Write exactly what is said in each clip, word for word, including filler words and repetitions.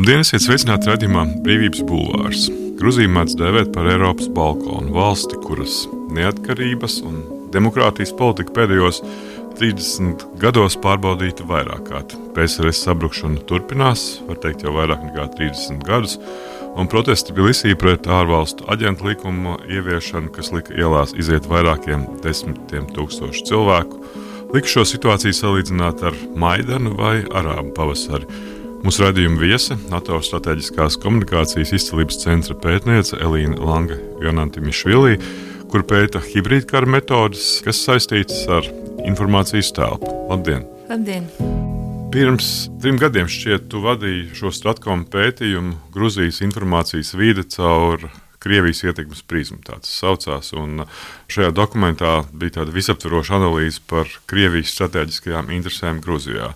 Labdien, esiet sveicināti raidījumā Brīvības bulvārs. Gruziju mēdz dēvēt par Eiropas balkonu valsti, kuras neatkarības un demokrātijas politika pēdējos trīsdesmit gados pārbaudīta vairāk kārt. P S R S sabrukšana turpinās, var teikt jau vairāk nekā trīsdesmit gadus, un protesti Tbilisī pret ārvalstu aģentu likuma ieviešanu, kas lika ielās iziet vairākiem desmitiem tūkstošu cilvēku, lika šo situāciju salīdzināt ar Maidanu vai Arābu pavasari. Mūsu raidījuma viese, NATO strateģiskās komunikācijas izcilības centra pētniece Elīna Lange-Jonantimišvili, kur pēta hibrīdkara metodes, kas saistītas ar informācijas telpu. Labdien! Labdien! Pirms trim gadiem šķiet, tu vadīji šo Stratkom pētījumu Gruzijas informācijas vide caur Krievijas ietekmes prizmu, tāds saucās, un šajā dokumentā bija tāda visaptveroša analīze par Krievijas strateģiskajām interesēm Gruzijā.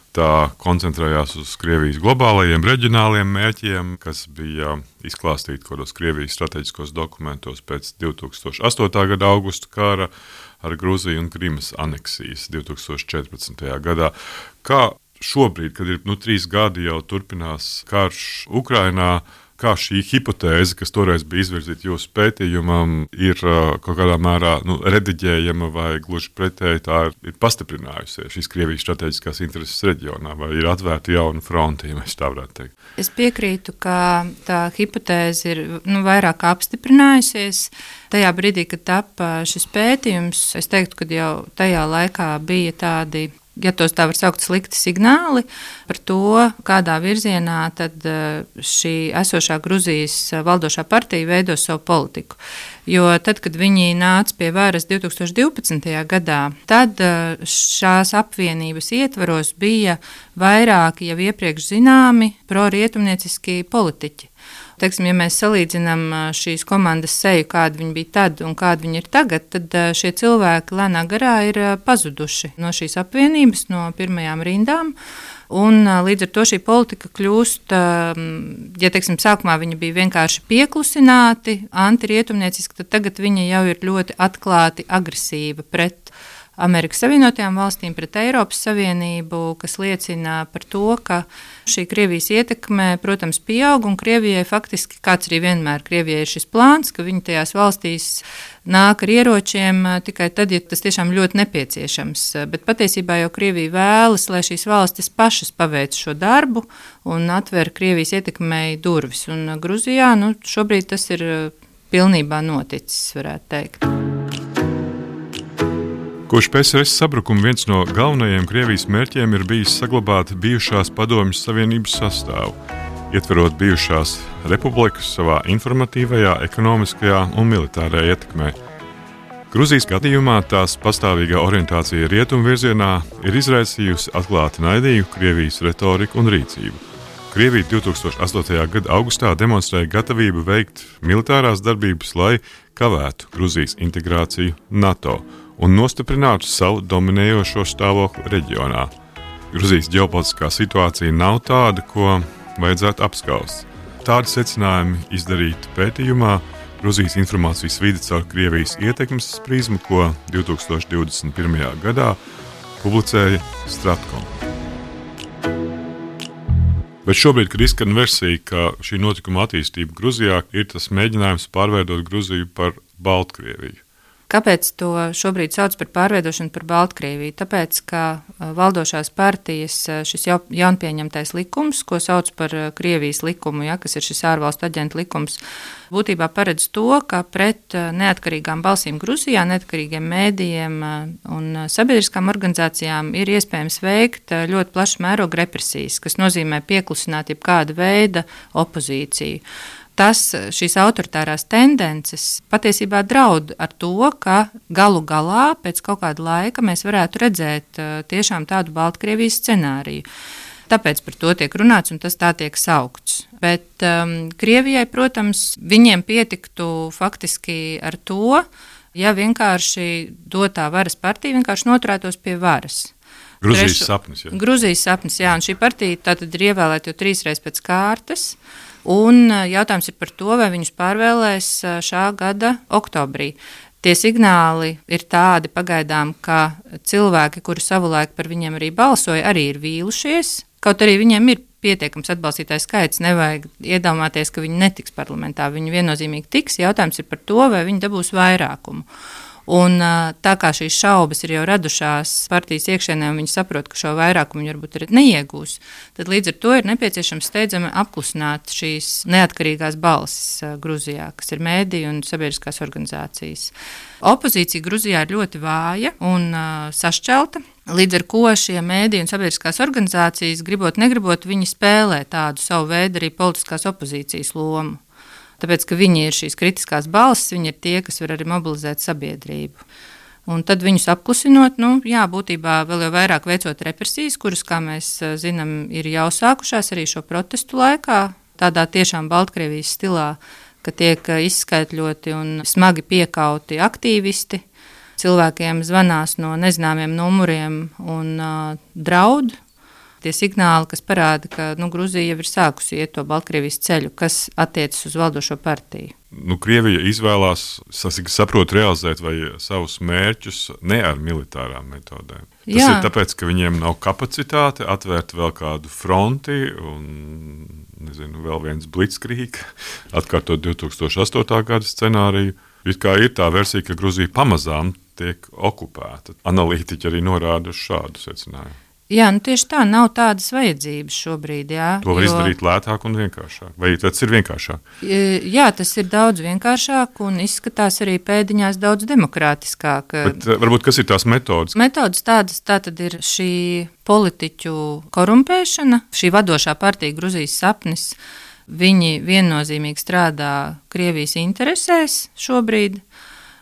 Tā koncentrējās uz Krievijas globālajiem, reģionāliem mērķiem, kas bija izklāstīti kādos Krievijas strateģiskos dokumentos pēc divi tūkstoši astotā gada augusta kara ar Gruziju un Krimas aneksijas divi tūkstoši četrpadsmitajā gadā. Kā šobrīd, kad ir nu, trīs gadi jau turpinās karš Ukrainā, kā šī hipotēze, kas toreiz bija izvirzīta jūsu pētījumam, ir uh, kaut kādā mērā nu, rediģējama vai gluži pretēji tā ir, ir pastiprinājusies šīs Krievijas strateģiskās intereses reģionā, vai ir atvērta jauna fronte, ja mēs tā varētu teikt? Es piekrītu, ka tā hipotēze ir nu, vairāk apstiprinājusies. Tajā brīdī, kad tapa šis pētījums, es teiktu, ka jau tajā laikā bija tādi, ja tos tā var saukt, slikti signāli par to, kādā virzienā tad šī esošā Gruzijas valdošā partija veido savu politiku. Jo tad, kad viņi nāca pie varas divi tūkstoši divpadsmitajā gadā, tad šās apvienības ietvaros bija vairāki jau iepriekš zināmi pro-rietumnieciski politiķi. Teiksim, ja mēs salīdzinām šīs komandas seju, kāda viņi bija tad un kāda viņi ir tagad, tad šie cilvēki lēnā garā ir pazuduši no šīs apvienības, no pirmajām rindām. Un līdz ar to šī politika kļūst, ja teiksim, sākumā viņi bija vienkārši pieklusināti, antirietumnieciski, tad tagad viņi jau ir ļoti atklāti agresīva pret Amerikas Savienotajām valstīm, pret Eiropas Savienību, kas liecina par to, ka šī Krievijas ietekme, protams, pieaug, un Krievijai faktiski, kāds arī vienmēr Krievijai ir šis plāns, ka viņi tajās valstīs nāk ar ieročiem tikai tad, ja tas tiešām ļoti nepieciešams. Bet patiesībā jau Krievija vēlas, lai šīs valstis pašas paveic šo darbu un atver Krievijas ietekmei durvis. Un Gruzijā nu, šobrīd tas ir pilnībā noticis, varētu teikt. Kopš P S R S sabrukuma viens no galvenajiem Krievijas mērķiem ir bijis saglabāt bijušās Padomju Savienības sastāvu, ietverot bijušās republikas savā informatīvajā, ekonomiskajā un militārajā ietekmē. Gruzijas gadījumā tās pastāvīgā orientācija rietumu virzienā ir izraisījusi atklāti naidīgu Krievijas retoriku un rīcību. Krievija divi tūkstoši astotajā gada augustā demonstrēja gatavību veikt militārās darbības, lai kavētu Gruzijas integrāciju NATO un nostiprinātu savu dominējošo stāvokli reģionā. Gruzijas ģeopolitiskā situācija nav tāda, ko vajadzētu apskaust. Tādi secinājumi izdarīti pētījumā Gruzijas informācijas vide caur Krievijas ietekmes prizmu, ko divi tūkstoši divdesmit pirmajā gadā publicēja Stratkom. Bet šobrīd, kad izskan versija, ka šī notikuma attīstība Gruzijā ir tas mēģinājums pārveidot Gruziju par Baltkrieviju. Kāpēc to šobrīd sauc par pārveidošanu par Baltkrieviju? Tāpēc, ka valdošās partijas šis jaunpieņemtais likums, ko sauc par Krievijas likumu, ja, kas ir šis ārvalstu aģentu likums, būtībā paredz to, ka pret neatkarīgām balsīm Gruzijā, neatkarīgiem mēdījiem un sabiedriskām organizācijām ir iespējams veikt ļoti plašu mērogu represijas, kas nozīmē pieklusināt jebkāda veida opozīciju. Tas, šīs autoritārās tendences patiesībā draud ar to, ka galu galā pēc kaut kāda laika mēs varētu redzēt tiešām tādu Baltkrievijas scenāriju. Tāpēc par to tiek runāts un tas tā tiek saukts. Bet um, Krievijai, protams, viņiem pietiktu faktiski ar to, ja vienkārši dotā varas partija vienkārši noturētos pie varas. Gruzijas Trešu, sapnis, jā. Gruzijas sapnis, jā, un šī partija tātad ir ievēlēta jau trīsreiz pēc kārtas. Un jautājums ir par to, vai viņus pārvēlēs šā gada oktobrī. Tie signāli ir tādi pagaidām, ka cilvēki, kuri savulaik par viņiem arī balsoja, arī ir vīlušies. Kaut arī viņiem ir pietiekams atbalstītāju skaits. Nevajag iedomāties, ka viņi netiks parlamentā. Viņi viennozīmīgi tiks. Jautājums ir par to, vai viņi dabūs vairākumu. Un tā kā šīs šaubas ir jau radušās partijas iekšēnē, un viņi saprot, ka šo vairākumu viņi varbūt arī neiegūs, tad līdz ar to ir nepieciešams steidzami apklusināt šīs neatkarīgās balsis Gruzijā, kas ir mēdīji un sabiedriskās organizācijas. Opozīcija Gruzijā ir ļoti vāja un uh, sašķelta, līdz ar ko šie mēdīji un sabiedriskās organizācijas, gribot, negribot, viņi spēlē tādu savu veidu arī politiskās opozīcijas lomu. Tāpēc, ka viņi ir šīs kritiskās balsis, viņi ir tie, kas var arī mobilizēt sabiedrību. Un tad viņus apklusinot, nu, jā, būtībā vēl jau vairāk veicot represijas, kuras, kā mēs zinām, ir jau sākušās arī šo protestu laikā, tādā tiešām Baltkrievijas stilā, ka tiek izskaitļoti un smagi piekauti aktīvisti, cilvēkiem zvanās no nezināmiem numuriem un uh, draud. Tie signāli, kas parāda, ka nu, Gruzija jau ir sākusi iet to Baltkrievijas ceļu, kas attiecas uz valdošo partiju. Nu, Krievija izvēlās, saprot, realizēt vai savus mērķus ne ar militārām metodēm. Tas Jā. ir tāpēc, ka viņiem nav kapacitāte atvērt vēl kādu fronti un, nezinu, vēl viens blitzkrieg, atkārtot divi tūkstoši astotā gada scenāriju. It kā ir tā versija, ka Gruzija pamazām tiek okupēta. Analītiķi arī norāda uz šādu secinājumu. Jā, nu tieši tā, nav tādas vajadzības šobrīd. Jā, to var jo... izdarīt lētāk un vienkāršāk. Vai tas ir vienkāršāk? Jā, tas ir daudz vienkāršāk un izskatās arī pēdiņās daudz demokrātiskāk. Bet varbūt kas ir tās metodas? Metodas tādas, tā tad ir šī politiķu korumpēšana, šī vadošā partija Gruzijas sapnis. Viņi viennozīmīgi strādā Krievijas interesēs šobrīd.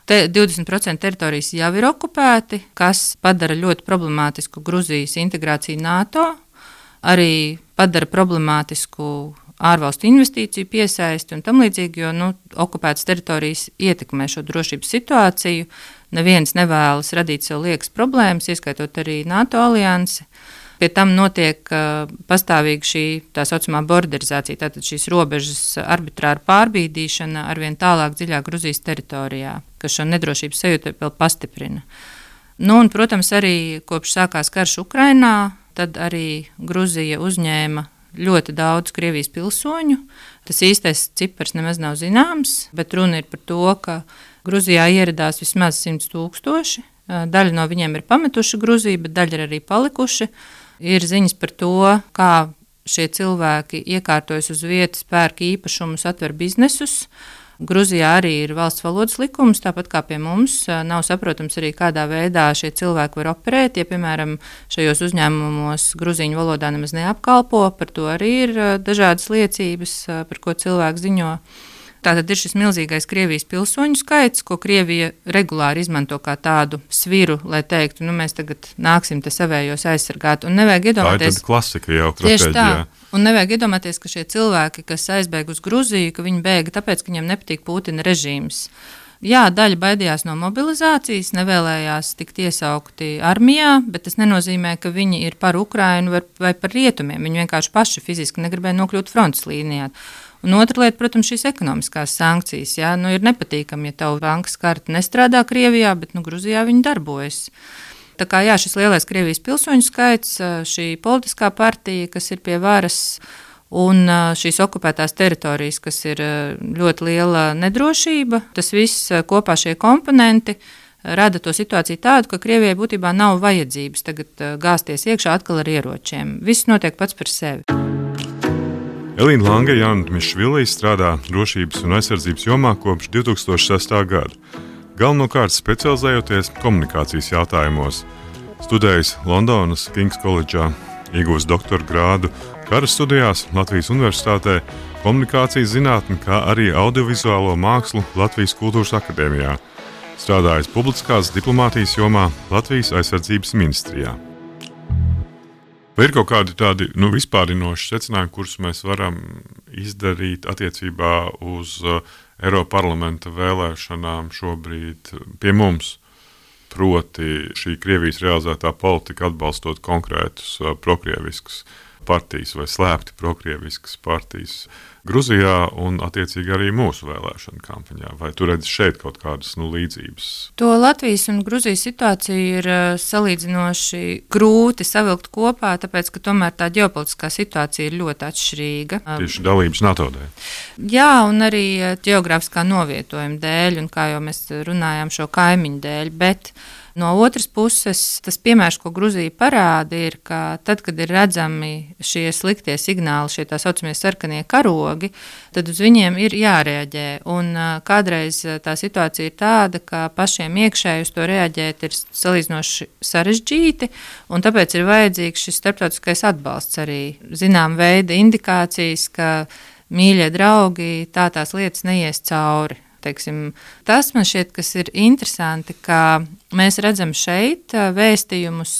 Te divdesmit procenti teritorijas jau ir okupēti, kas padara ļoti problemātisku Gruzijas integrāciju NATO, arī padara problemātisku ārvalstu investīciju piesaisti un tam līdzīgi, jo nu, okupētas teritorijas ietekmē šo drošības situāciju. Neviens nevēlas radīt sev liekas problēmas, ieskaitot arī NATO aliansi. Pie tam notiek uh, pastāvīgi šī tā saucamā borderizācija, tātad šīs robežas arbitrāra pārbīdīšana arvien tālāk dziļāk Gruzijas teritorijā, kas šo nedrošības sajūtu vēl pastiprina. Nu, un, protams, arī kopš sākās karš Ukrainā, tad arī Gruzija uzņēma ļoti daudz Krievijas pilsoņu. Tas īstais cipars nemaz nav zināms, bet runa ir par to, ka Gruzijā ieradās vismaz simts tūkstoši. Daļa no viņiem ir pametuši Gruziju, bet daļa ir arī palikuši. Ir ziņas par to, kā šie cilvēki iekārtojas uz vietas, pērk īpašumus, atver biznesus. Gruzijā arī ir valsts valodas likums, tāpat kā pie mums. Nav saprotams arī, kādā veidā šie cilvēki var operēt. Ja, piemēram, šajos uzņēmumos gruzīņu valodā nemaz neapkalpo, par to arī ir dažādas liecības, par ko cilvēki ziņo. Tātad ir šis milzīgais Krievijas pilsoņu skaits, ko Krievija regulāri izmanto kā tādu sviru, lai teiktu, nu mēs tagad nāksim te savējos aizsargāt. Un nevajag iedomāties... Tā ir tāda klasika jau tieši tā. Un nevajag iedomāties, ka šie cilvēki, kas aizbēg uz Gruziju, ka viņi bēga tāpēc, ka viņiem nepatīk Putina režīms. Jā, daļa baidījās no mobilizācijas, nevēlējās tikt iesaukti armijā, bet tas nenozīmē, ka viņi ir par Ukrainu vai par rietumiem. Viņi vienkārši paši fiziski negribēja nokļūt frontes līnijā. Un otra lieta, protams, šīs ekonomiskās sankcijas. Jā, nu ir nepatīkami, ja tavu bankas karte nestrādā Krievijā, bet nu, Gruzijā viņi darbojas. Tā kā jā, šis lielais Krievijas pilsoņu skaits, šī politiskā partija, kas ir pie varas, un šīs okupētās teritorijas, kas ir ļoti liela nedrošība, tas viss kopā šie komponenti rada to situāciju tādu, ka Krievijai būtībā nav vajadzības tagad gāzties iekšā atkal ar ieročiem. Viss notiek pats par sevi. Elīna Lange Jaunmišvilī strādā drošības un aizsardzības jomā kopš divi tūkstoši sestā gada. Galvenokārt specializējoties komunikācijas jautājumos. Studējis Londonas Kings College'ā, iegūst doktora grādu kara studijās Latvijas Universitātē, komunikācijas zinātni, kā arī audiovizuālo mākslu Latvijas Kultūras akadēmijā. Strādājis publiskās diplomātijas jomā Latvijas aizsardzības ministrijā. Vai ir kaut kādi tādi nu, vispārinoši secinājumi, kurus mēs varam izdarīt attiecībā uz uh, Eiroparlamenta vēlēšanām šobrīd pie mums? Proti šī Krievijas realizētā politika atbalstot konkrētus uh, prokrieviskus partijas vai slēpti prokrieviskas partijas Gruzijā un, attiecīgi, arī mūsu vēlēšanu kampaņā. Vai tu redzi šeit kaut kādas nu, līdzības? To Latvijas un Gruzijas situāciju ir salīdzinoši grūti savilkt kopā, tāpēc, ka tomēr tā ģeopolitiskā situācija ir ļoti atšķirīga. Tieši dalības NATO dēļ. Jā, un arī ģeogrāfiskā novietojuma dēļ, un kā jau mēs runājām, šo kaimiņu dēļ, bet no otras puses, tas piemērs, ko Gruzija parāda, ir, ka tad, kad ir redzami šie sliktie signāli, šie tā saucamie sarkanie karogi, tad uz viņiem ir jārēģē. Un kādreiz tā situācija ir tāda, ka pašiem iekšēji uz to reaģēt ir salīdzinoši sarežģīti, un tāpēc ir vajadzīgs šis starptautiskais atbalsts arī. Zinām veida indikācijas, ka mīļie draugi tā tās lietas neies cauri. Teiksim, tas man šķiet, kas ir interesanti, ka mēs redzam šeit vēstījumus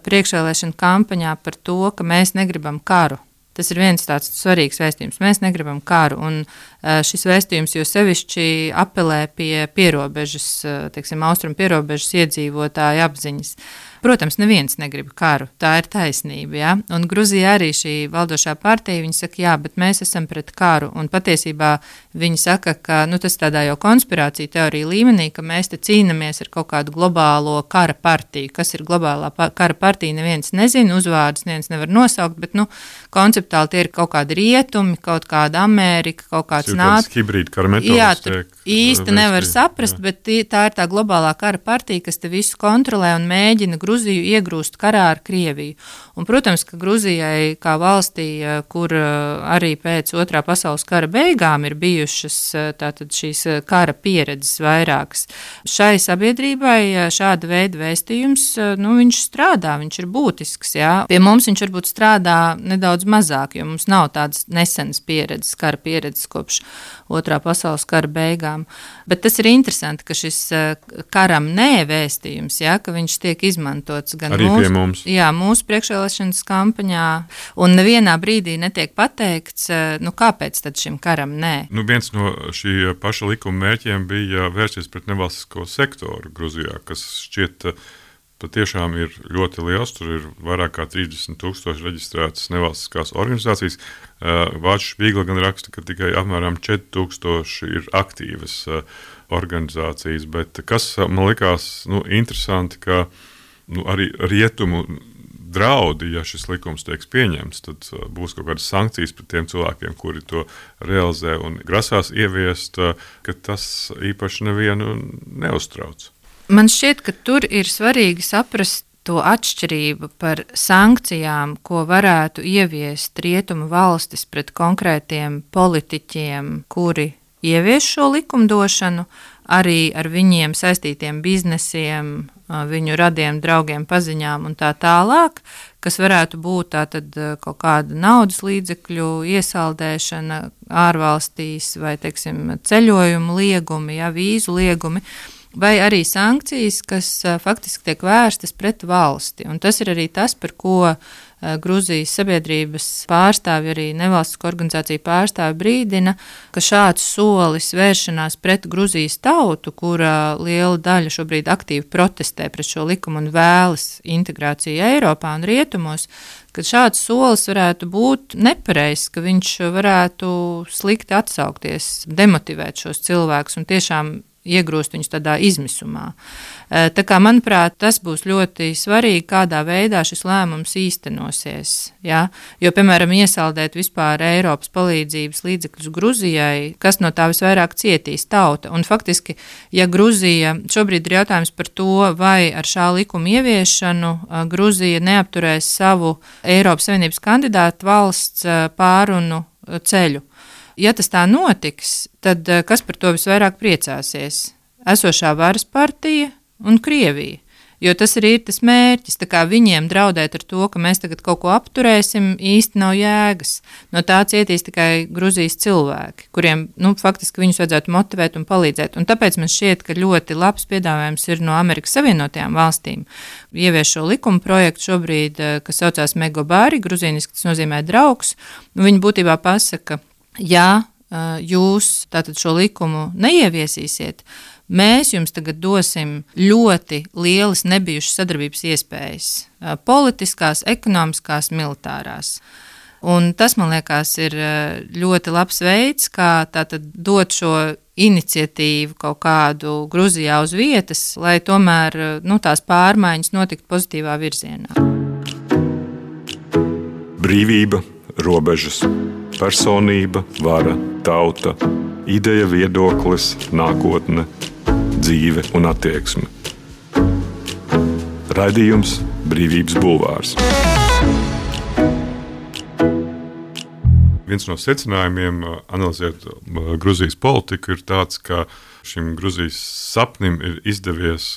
priekšvēlēšanu kampaņā par to, ka mēs negribam karu. Tas ir viens tāds svarīgs vēstījums. Mēs negribam karu, un šis vēstījums jo sevišķi apelē pie pierobežas, teiksim, austrumu pierobežas iedzīvotāju apziņas. Protams, neviens negrib karu, tā ir taisnība, ja? Un Gruzija arī šī valdošā partija, viņi saka, jā, bet mēs esam pret karu, un patiesībā viņi saka, ka nu, tas tādā jau konspirācija teorija līmenī, ka mēs te cīnamies ar kaut kādu globālo kara partiju. Kas ir globālā pa- kara partija, neviens nezina, uzvārdus neviens nevar nosaukt, bet nu, konceptuāli tie ir kaut kādi rietumi, kaut kāda Amerika, kaut kāds NATO. Hibrīda kara metodas. Jā, tur īsti nevar saprast, jā. Bet tā ir tā globālā kara partija, kas te visu kontrolē un mēģina Gruziju iegrūst karā ar Krieviju. Un, protams, ka Gruzijai kā valstī, kur arī pēc otrā pasaules kara beigām ir bijušas tātad šīs kara pieredzes vairākas, šai sabiedrībai šāda veida vēstījums, nu, viņš strādā, viņš ir būtisks, jā. Pie mums viņš varbūt strādā nedaudz mazāk, jo mums nav tādas nesenas pieredzes, kara pieredzes kopš otrā pasaules kara beigām. Bet tas ir interesanti, ka šis karam nē vēstījums, jā, ka viņš tiek izmantots gan arī mūsu, pie mums. Jā, mūsu priekšvēlēšanas kampaņā, un nevienā brīdī netiek pateikts, nu kāpēc tad šim karam nē. Nu, viens no šī paša likuma mērķiem bija vērsties pret nevalstisko sektoru Gruzijā, kas šķiet patiešām ir ļoti liels. Tur ir vairāk kā trīsdesmit tūkstoši reģistrētas nevalstiskās organizācijas. Vācu Špīgla gan raksta, ka tikai apmēram četri tūkstoši ir aktīvas organizācijas, bet kas man likās nu, interesanti, ka nu, arī rietumu draudi, ja šis likums tiek pieņemts, tad būs kaut kādas sankcijas pret tiem cilvēkiem, kuri to realizē un grasās ieviest, ka tas īpaši nevienu neuztrauc. Man šķiet, ka tur ir svarīgi saprast to atšķirību par sankcijām, ko varētu ieviest rietumu valstis pret konkrētiem politiķiem, kuri ievies šo likumdošanu, arī ar viņiem saistītiem biznesiem, viņu radiem, draugiem, paziņām un tā tālāk, kas varētu būt tātad kaut kāda naudas līdzekļu iesaldēšana ārvalstīs vai, teiksim, ceļojumu liegumi, ja, vīzu liegumi, vai arī sankcijas, kas faktiski tiek vērstas pret valsti. Un tas ir arī tas, par ko Gruzijas sabiedrības pārstāvji, arī nevalstisko organizāciju pārstāvji brīdina, ka šāds solis vēršanās pret Gruzijas tautu, kura liela daļa šobrīd aktīvi protestē pret šo likumu un vēlas integrāciju Eiropā un rietumos, ka šāds solis varētu būt nepareizs, ka viņš varētu slikti atsaukties, demotivēt šos cilvēkus un tiešām iegrūst viņus tādā izmisumā. Tā kā, manuprāt, tas būs ļoti svarīgi, kādā veidā šis lēmums īstenosies. Ja? Jo, piemēram, iesaldēt vispār Eiropas palīdzības līdzekļus Gruzijai, kas no tā visvairāk cietīs tauta. Un faktiski, ja Gruzija, šobrīd ir jautājums par to, vai ar šā likuma ieviešanu Gruzija neapturēs savu Eiropas Savienības kandidātu valsts pārunu ceļu. Ja tas tā notiks, tad kas par to visvairāk priecāsies? Esošā varas partija un Krievija. Jo tas arī ir tas mērķis. Tā kā viņiem draudēt ar to, ka mēs tagad kaut ko apturēsim, īsti nav jēgas. No tā cietīs tikai Gruzijas cilvēki, kuriem nu, faktiski viņus vajadzētu motivēt un palīdzēt. Un tāpēc man šķiet, ka ļoti labs piedāvājums ir no Amerikas Savienotajām valstīm. Ievieš šo likuma projektu šobrīd, kas saucās Megobari, gruzīniski tas nozīmē draugs. Viņi būtībā pasaka, ja jūs tātad šo likumu neieviesīsiet, mēs jums tagad dosim ļoti lielas nebijušas sadarbības iespējas - politiskās, ekonomiskās, militārās. Un tas, man liekas, ir ļoti labs veids, kā tātad dot šo iniciatīvu kaut kādu Gruzijā uz vietas, lai tomēr nu, tās pārmaiņas notiktu pozitīvā virzienā. Brīvība, robežas, personība, vara, tauta, ideja, viedoklis, nākotne, dzīve un attieksme. Raidījums Brīvības bulvārs. Viens no secinājumiem, analizējot Gruzijas politiku, ir tāds, ka šim Gruzijas sapnim ir izdevies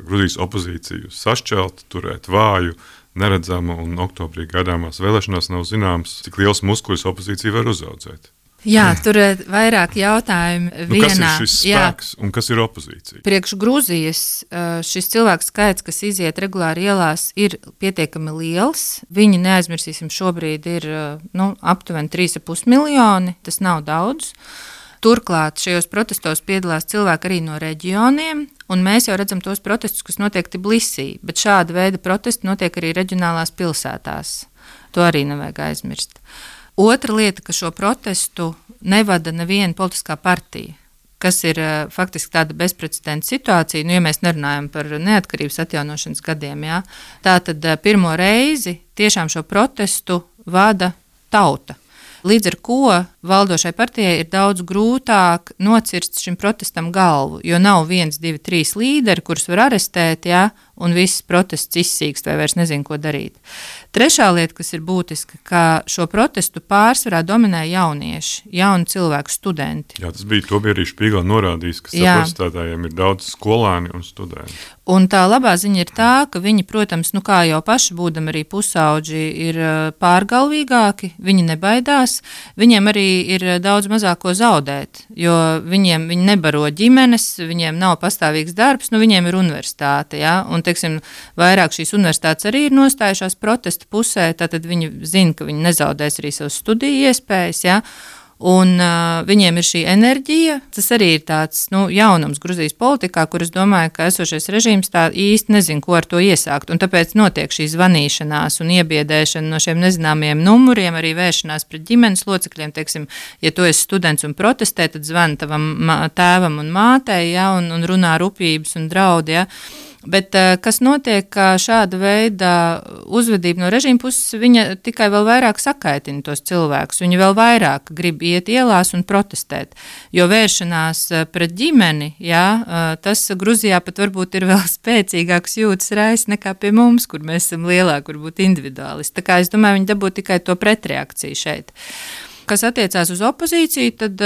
Gruzijas opozīciju sašķelt, turēt vāju, neredzamu, un oktobrī gaidāmās vēlēšanās nav zināms, cik liels muskuļus opozīcija var uzaudzēt. Jā, tur ir vairāk jautājumu Nu, vienā. kas ir šis spēks Jā. un kas ir opozīcija? Priekš Gruzijas šis cilvēku skaits, kas iziet regulāri ielās, ir pietiekami liels. Viņi, neaizmirsīsim, šobrīd ir nu, aptuveni trīs komats pieci miljoni. Tas nav daudz. Turklāt šajos protestos piedalās cilvēki arī no reģioniem, un mēs jau redzam tos protestus, kas notiek Tbilisī, bet šāda veida protesti notiek arī reģionālās pilsētās. To arī nevajag aizmirst. Otra lieta, ka šo protestu nevada neviena politiskā partija, kas ir faktiski tāda bezprecedenta situācija, nu, ja mēs nerunājam par neatkarības atjaunošanas gadiem. Jā, tā tad pirmo reizi tiešām šo protestu vada tauta. Līdz ar ko valdošai partijai ir daudz grūtāk nocirst šim protestam galvu, jo nav viens, divi, trīs līderi, kurus var arestēt, ja, un viss protests izsīkst vai vairs nezin, ko darīt. Trešā lieta, kas ir būtiska, ka šo protestu pārsvarā dominē jaunieši, jauni cilvēku, studenti. Jā, tas bija, to bija arī Špīgelā norādījis, ka protestētājiem ir daudz skolēni un studenti. Un tā labā ziņa ir tā, ka viņi, protams, nu kā jau paši būdami arī pusauģi, ir pārgalvīgāki, viņi nebaidās, viņiem arī ir daudz mazāk ko zaudēt, jo viņiem viņi nebaro ģimenes, viņiem nav pastāvīgs darbs, nu viņiem ir universitāte, ja? Un, teiksim, vairāk šīs universitātes arī ir nostājušās protesta pusē, tātad viņi zina, ka viņi nezaudēs arī savas studiju iespējas, ja? Un uh, viņiem ir šī enerģija. Tas arī ir tāds nu, jaunums Gruzijas politikā, kur es domāju, ka esošais režīms tā īsti nezin, ko ar to iesākt. Un tāpēc notiek šī zvanīšanās un iebiedēšana no šiem nezināmiem numuriem, arī vēršanās pret ģimenes locekļiem. Teiksim, ja tu esi students un protestē, tad zvani tavam tēvam un mātei, ja, un, un runā rupjības un draudi. Ja. Bet kas notiek, ka šāda veida uzvedība no režīma puses, viņa tikai vēl vairāk sakaitina tos cilvēkus. Viņi vēl vairāk grib iet ielās un protestēt, jo vēršanās pret ģimeni, jā, tas Gruzijā pat varbūt ir vēl spēcīgāks jūtas rais nekā pie mums, kur mēs esam lielāki, varbūt individuālisti. Tā kā es domāju, viņi dabū tikai to pretreakciju šeit. Kas attiecās uz opozīciju, tad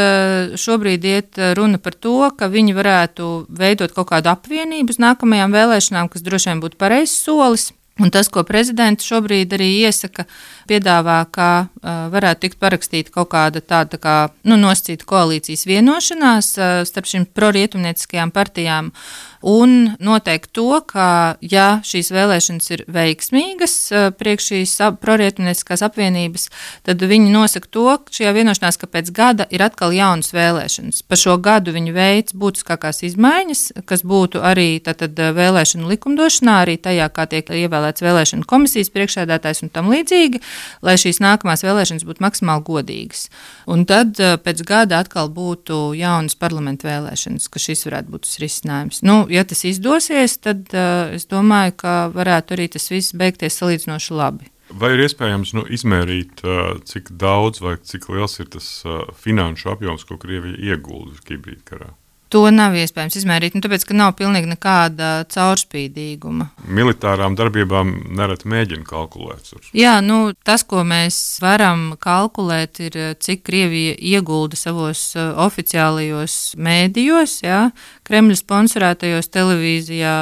šobrīd iet runa par to, ka viņi varētu veidot kaut kādu apvienību uz nākamajām vēlēšanām, kas droši vien būtu pareizs solis. Un tas, ko prezidents šobrīd arī iesaka, piedāvā, ka uh, varētu tikt parakstīta kaut kāda tāda tā kā, nu, nosacīta koalīcijas vienošanās uh, starp šīm prorietumnieciskajām partijām un noteikt to, ka, ja šīs vēlēšanas ir veiksmīgas uh, priekš šīs prorietumnieciskās apvienības, tad viņi nosaka to, ka šajā vienošanās, ka pēc gada ir atkal jaunas vēlēšanas. Pa šo gadu viņi veic būtiskākās izmaiņas, kas būtu arī tātad vēlēšanu likumdošanā, arī tajā, kā tiek ievēlēts vēlēšanu komisijas priekšsēdētājs un tam līdzīgi, lai šīs nākamās vēlēšanas būtu maksimāli godīgas. Un tad pēc gada atkal būtu jaunas parlamenta vēlēšanas, ka šis varētu būt tas risinājums. Nu, ja tas izdosies, tad uh, es domāju, ka varētu arī tas viss beigties salīdzinoši labi. Vai ir iespējams nu, izmērīt, uh, cik daudz vai cik liels ir tas uh, finanšu apjoms, ko Krievija iegulda hibrīdkarā? To nav iespējams izmērīt, nu, tāpēc, ka nav pilnīgi nekāda caurspīdīguma. Militārām darbībām nereti mēģina kalkulēt. Jā, nu, tas, ko mēs varam kalkulēt, ir, cik Krievija iegulda savos uh, oficiālajos mēdījos, jā, Kremļa sponsorētajos televīzijā,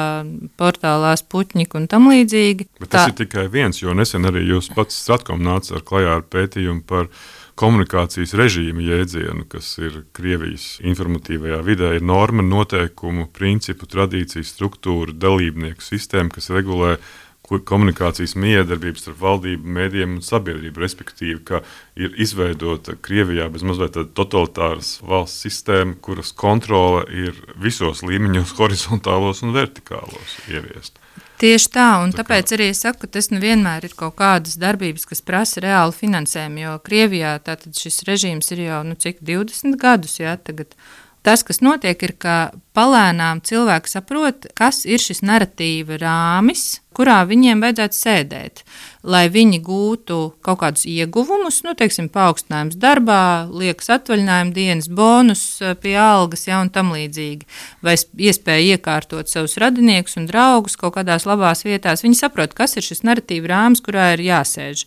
portālā Sputņik un tam līdzīgi. Bet tas Tā... ir tikai viens, jo nesen arī jūs pats Stratkom nāca ar klajā ar pētījumu par komunikācijas režīma jēdzienu, kas ir Krievijas informatīvajā vidē, ir norma, noteikumu, principu, tradīciju, struktūru, dalībnieku sistēma, kas regulē, komunikācijas miedarbības starp valdību, mēdījiem un sabiedrību, respektīvi, ka ir izveidota Krievijā bezmazliet tāda totalitāras valsts sistēma, kuras kontrole ir visos līmeņos, horizontālos un vertikālos ieviest. Tieši tā, un tā tāpēc arī es saku, ka tas nevienmēr ir kaut kādas darbības, kas prasa reālu finansējumu, jo Krievijā tātad šis režīms ir jau, nu, cik divdesmit gadus, jā, tagad. Tas, kas notiek, ir, ka palēnām cilvēki saprot, kas ir šis narratīva rāmis, kurā viņiem vajadzētu sēdēt, lai viņi gūtu kaut kādus ieguvumus, nu, teiksim, paaugstinājums darbā, liekas atvaļinājuma dienas, bonus pie algas, ja, un tam līdzīgi, vai iespēja iekārtot savus radiniekus un draugus kaut kādās labās vietās. Viņi saprot, kas ir šis narratīva rāmis, kurā ir jāsēž.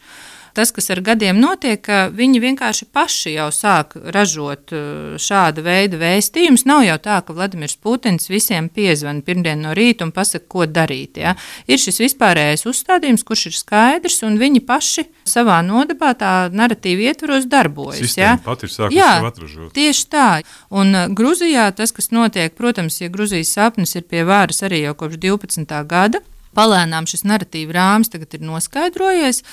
Tas, kas ar gadiem notiek, ka viņi vienkārši paši jau sāk ražot šāda veida vēstījumus. Nav jau tā, ka Vladimirs Putins visiem piezvana pirmdien no rīta un pasaka, ko darīt. Ja? Ir šis vispārējais uzstādījums, kurš ir skaidrs, un viņi paši savā nodabā tā narratīva ietvaros darbojas. Sistēma ja? pat ir sākusi sev atražot. Tieši tā. Un Gruzijā tas, kas notiek, protams, ja Gruzijas sapnis ir pie varas arī jau kopš divpadsmitā gada, palēnām šis narratīva rāmis tagad ir noskaidrojies,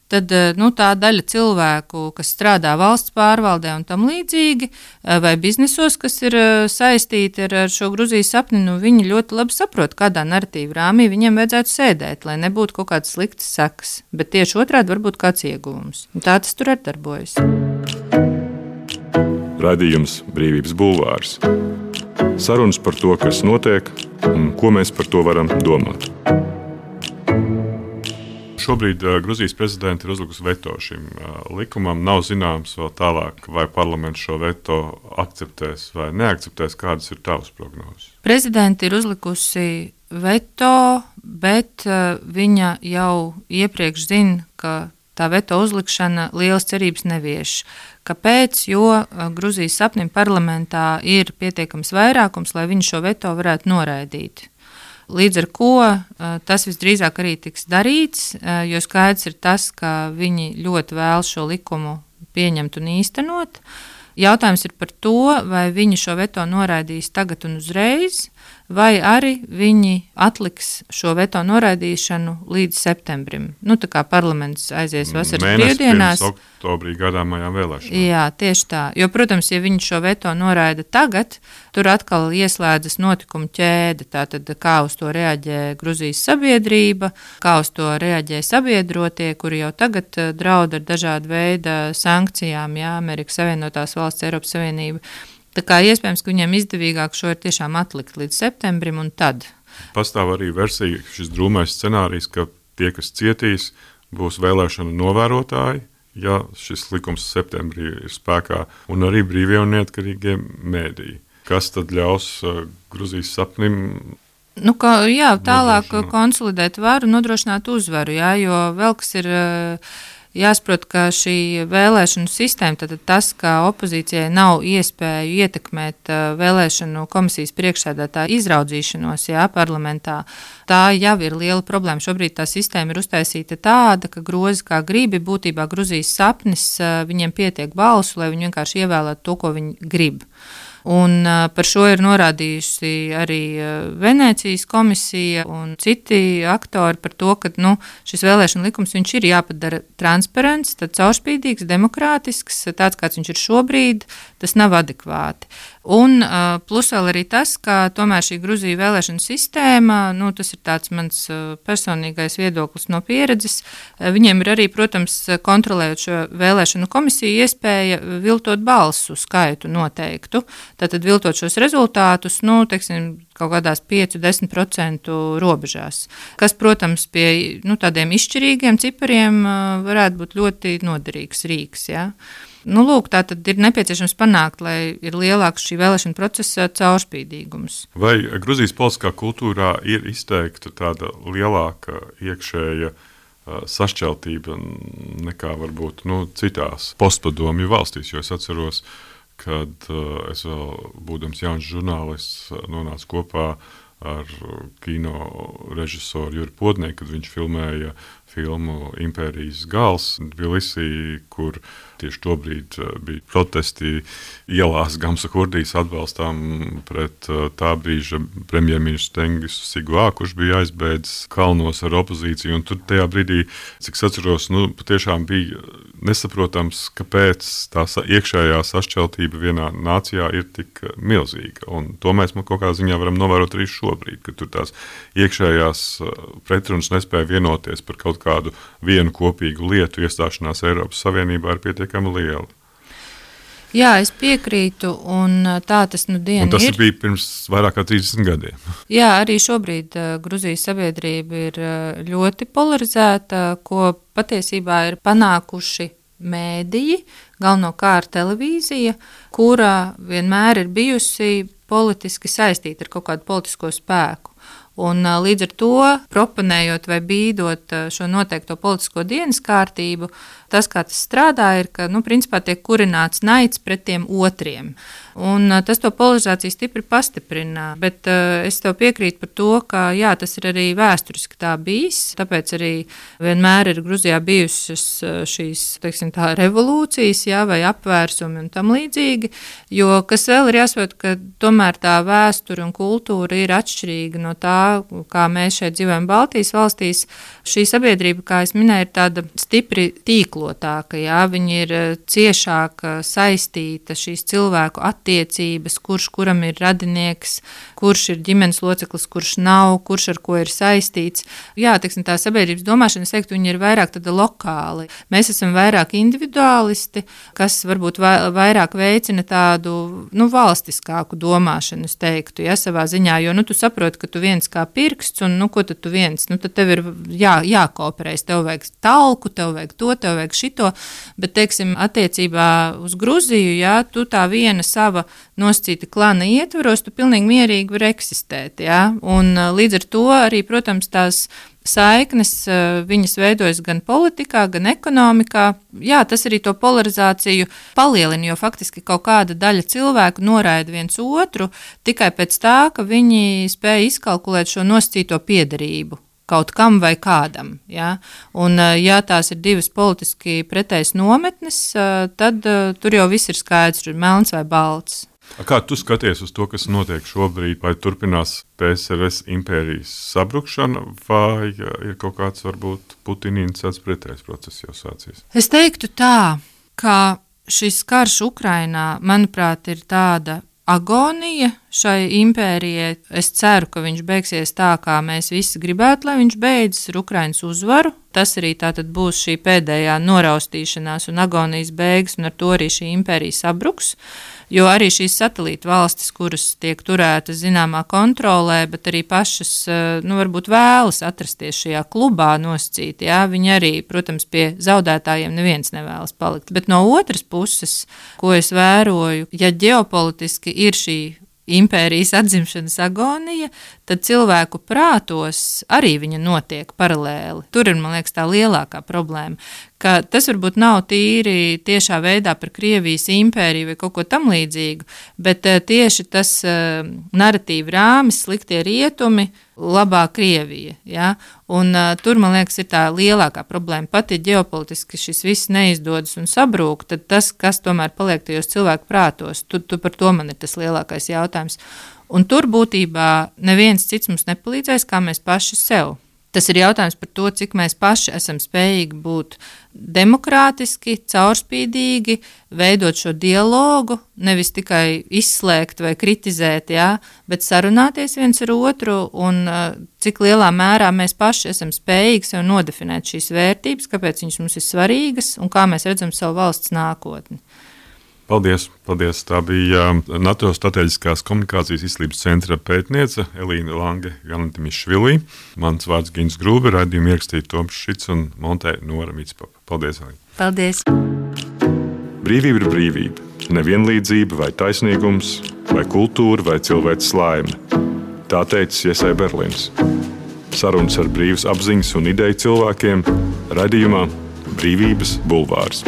tad nu, tā daļa cilvēku, kas strādā valsts pārvaldē un tam līdzīgi, vai biznesos, kas ir saistīti ar, ar šo Gruzijas sapni, nu, viņi ļoti labi saprot, kādā narratīva rāmī viņiem vajadzētu sēdēt, lai nebūtu kaut kādas sliktas sekas, bet tieši otrādi varbūt kāds ieguvums. Un tā tas tur arī darbojas. Raidījums Brīvības bulvārs. Sarunas par to, kas notiek un ko mēs par to varam domāt. Šobrīd uh, Gruzijas prezidenta ir uzlikusi veto šim uh, likumam. Nav zināms vēl tālāk, vai parlaments šo veto akceptēs vai neakceptēs. Kādas ir tavas prognozes? Prezidenta ir uzlikusi veto, bet uh, viņa jau iepriekš zina, ka tā veto uzlikšana lielas cerības nevieš. Kāpēc? Jo uh, Gruzijas sapnim parlamentā ir pietiekams vairākums, lai viņi šo veto varētu noraidīt. Līdz ar ko tas visdrīzāk arī tiks darīts, jo skaidrs ir tas, ka viņi ļoti vēlas šo likumu pieņemt un īstenot. Jautājums ir par to, vai viņi šo veto noraidīs tagad un uzreiz, vai arī viņi atliks šo veto noraidīšanu līdz septembrim. Nu, tā kā parlaments aizies vasaras brīvdienās. Mēnesis pirms oktobrī gadāmajām vēlēšanām. Jā, tieši tā. Jo, protams, ja viņi šo veto noraida tagad, tur atkal ieslēdzas notikumu ķēde. Tātad, kā uz to reaģē Gruzijas sabiedrība, kā uz to reaģē sabiedrotie, kuri jau tagad draud ar dažādu veidu sankcijām, jā, Amerikas Savienotās valsts, Eiropas Savienība. Tā kā iespējams, ka viņiem izdevīgāk šo ir tiešām atlikt līdz septembrim un tad. Pastāv arī versija, šis drūmais scenārijs, ka tie, kas cietīs, būs vēlēšana novērotāji, ja šis likums septembrī ir spēkā, un arī brīvie un neatkarīgie mēdīji. Kas tad ļaus uh, Gruzijas sapnim? Nu, kā, jā, tālāk konsolidēt varu, nodrošināt uzvaru, jā, jo vēl kas ir... Uh, Jāsaprot, ka šī vēlēšanu sistēma, tad tas, ka opozīcijai nav iespēju ietekmēt vēlēšanu komisijas priekšsēdētāju izraudzīšanos, jā, parlamentā, tā jau ir liela problēma. Šobrīd tā sistēma ir uztaisīta tāda, ka grozi kā gribi, būtībā Gruzijas sapnis, viņiem pietiek balsu, lai viņi vienkārši ievēlētu to, ko viņi grib. Un uh, par šo ir norādījusi arī uh, Venēcijas komisija un citi aktori par to, ka nu, šis vēlēšana likums viņš ir jāpadara transparents, tad caurspīdīgs, demokrātisks, tāds kāds viņš ir šobrīd, tas nav adekvāti. Un uh, plus vēl arī tas, ka tomēr šī Gruzija vēlēšana sistēma, nu, tas ir tāds mans uh, personīgais viedoklis no pieredzes, uh, viņiem ir arī, protams, kontrolējot šo vēlēšanu komisiju iespēja viltot balsu skaitu noteiktu. Tātad viltot šos rezultātus, nu, teiksim, kaut kādās pieci līdz desmit procentu robežās, kas, protams, pie nu, tādiem izšķirīgiem cipariem varētu būt ļoti noderīgs rīks. Ja? Nu, lūk, tā tad ir nepieciešams panākt, lai ir lielāks šī vēlēšana procesa caurspīdīgums. Vai Gruzijas politiskā kultūrā ir izteikta tāda lielāka iekšēja sašķeltība nekā varbūt nu, citās postpadomju valstīs, jo es atceros, kad uh, es vēl būdams jauns žurnālists nonācu kopā ar kino režisoru Juri Podnieku, kad viņš filmēja filmu Impērijas gals Tbilisī, kur tieši tobrīd bija protesti ielās Gamsa Hurdijas atbalstām pret tā brīža premjerministru Tengisu Siguā, kurš bija aizbēdzis kalnos ar opozīciju. Un tur tajā brīdī, cik es atceros, nu, patiešām bija nesaprotams, kāpēc tā iekšējā sašķeltība vienā nācijā ir tik milzīga. Un to mēs kaut kādā ziņā varam novērot arī šobrīd, ka tur tās iekšējās pretrunas nespēja vienoties par kaut kādu vienu kopīgu lietu. Iestāšanās Eiropas Savienībā ir pietiekami liela. Jā, es piekrītu, un tā tas nu diena ir. Un tas ir. bija pirms vairāk kā trīsdesmit gadiem. Jā, arī šobrīd uh, Gruzijas sabiedrība ir uh, ļoti polarizēta, ko patiesībā ir panākuši mēdīji, galvenokārt televīzija, kura vienmēr ir bijusi politiski saistīta ar kaut kādu politisko spēku. Un, līdz ar to, proponējot vai bīdot šo noteikto politisko dienas kārtību, tas, kā tas strādā, ir, ka nu, principā tiek kurināts naids pret tiem otriem. Un, tas to polarizāciju stipri pastiprina. Bet uh, es tev piekrītu par to, ka jā, tas ir arī vēsturiski tā bijis. Tāpēc arī vienmēr ir Gruzijā bijušas šīs teiksim, tā, revolūcijas jā, vai apvērsumi un tam līdzīgi. Jo kas vēl ir jāsaprot, ka tomēr tā vēsture un kultūra ir atšķirīga no tā, kā mēs šeit dzīvojam Baltijas valstīs. Šī sabiedrība, kā es minēju, ir tāda stipri tīklotāka. Jā, viņi ir ciešāk saistīta šīs cilvēku attiecības, kurš kuram ir radinieks, kurš ir ģimenes loceklis, kurš nav, kurš ar ko ir saistīts. Jā, teiksim, tā sabiedrības domāšana, es teiktu, viņi ir vairāk tāda lokāli. Mēs esam vairāk individuālisti, kas varbūt vairāk veicina tādu nu, valstiskāku domāšanu, es teiktu, ja, savā ziņā, jo nu, tu saproti, ka tu viens kā pirksts, un nu, ko tad tu viens, nu, tad tev ir jā, jākooperēs, tev vajag talku, tev vajag to, tev vajag šito, bet, teiksim, attiecībā uz Gruziju, jā, tu tā viena sava nosacīta klana ietvaros, tu pilnīgi mierīgi var eksistēt, jā, un līdz ar to arī, protams, tās saiknes, viņas veidojas gan politikā, gan ekonomikā. Jā, tas arī to polarizāciju palielina, jo faktiski kaut kāda daļa cilvēku noraida viens otru tikai pēc tā, ka viņi spēja izkalkulēt šo nosacīto piederību kaut kam vai kādam. Ja? Un, ja tās ir divas politiski pretējas nometnes, tad tur jau viss ir skaidrs, ir melns vai balts. Kā tu skaties uz to, kas notiek šobrīd, vai turpinās P S R S impērijas sabrukšana, vai ir kaut kāds varbūt Putina inicēts pretējs process jau sācies? Es teiktu tā, ka šis karš Ukrainā, manuprāt, ir tāda agonija šai impērijai. Es ceru, ka viņš beigsies tā, kā mēs visi gribētu, lai viņš beidzas ar Ukrainas uzvaru. Tas arī tātad būs šī pēdējā noraustīšanās un agonijas beigas, un ar to arī šī impērija sabruks. Jo arī šīs satelīta valstis, kuras tiek turētas zināmā kontrolē, bet arī pašas, nu, varbūt vēlas atrasties šajā klubā nosacīti, jā, viņi arī, protams, pie zaudētājiem neviens nevēlas palikt. Bet no otras puses, ko es vēroju, ja ģeopolitiski ir šī impērijas atzimšanas agonija, tad cilvēku prātos arī viņa notiek paralēli. Tur ir, man liekas, tā lielākā problēma, ka tas varbūt nav tīri tiešā veidā par Krievijas impēriju vai kaut ko tam līdzīgu, bet tieši tas uh, naratīva rāmis, sliktie rietumi, labā Krievija. Ja? Un uh, tur, man liekas, ir tā lielākā problēma. Pat ja ģeopolitiski šis viss neizdodas un sabrūk, tad tas, kas tomēr paliek tajos cilvēku prātos, tu, tu par to man ir tas lielākais jautājums. Un tur būtībā neviens cits mums nepalīdzēs, kā mēs paši sev. Tas ir jautājums par to, cik mēs paši esam spējīgi būt demokrātiski, caurspīdīgi, veidot šo dialogu, nevis tikai izslēgt vai kritizēt, jā, bet sarunāties viens ar otru un cik lielā mērā mēs paši esam spējīgi sev nodefinēt šīs vērtības, kāpēc viņas mums ir svarīgas un kā mēs redzam savu valsts nākotni. Paldies, paldies. Tā bija NATO strateģiskās komunikācijas izglītības centra pētniece Elīna Lange Janantimišvilī. Mans vārds Gins Grūbe, raidījumu ierakstīja Toms Šits un montē Nora Mitspapa. Paldies, Elīna. Paldies. Brīvība ir brīvība. Nevienlīdzība vai taisnīgums, vai kultūra, vai cilvēks laime. Tā teica Iesai Berlīns. Sarunas ar brīvas apziņas un ideju cilvēkiem raidījumā Brīvības bulvārs.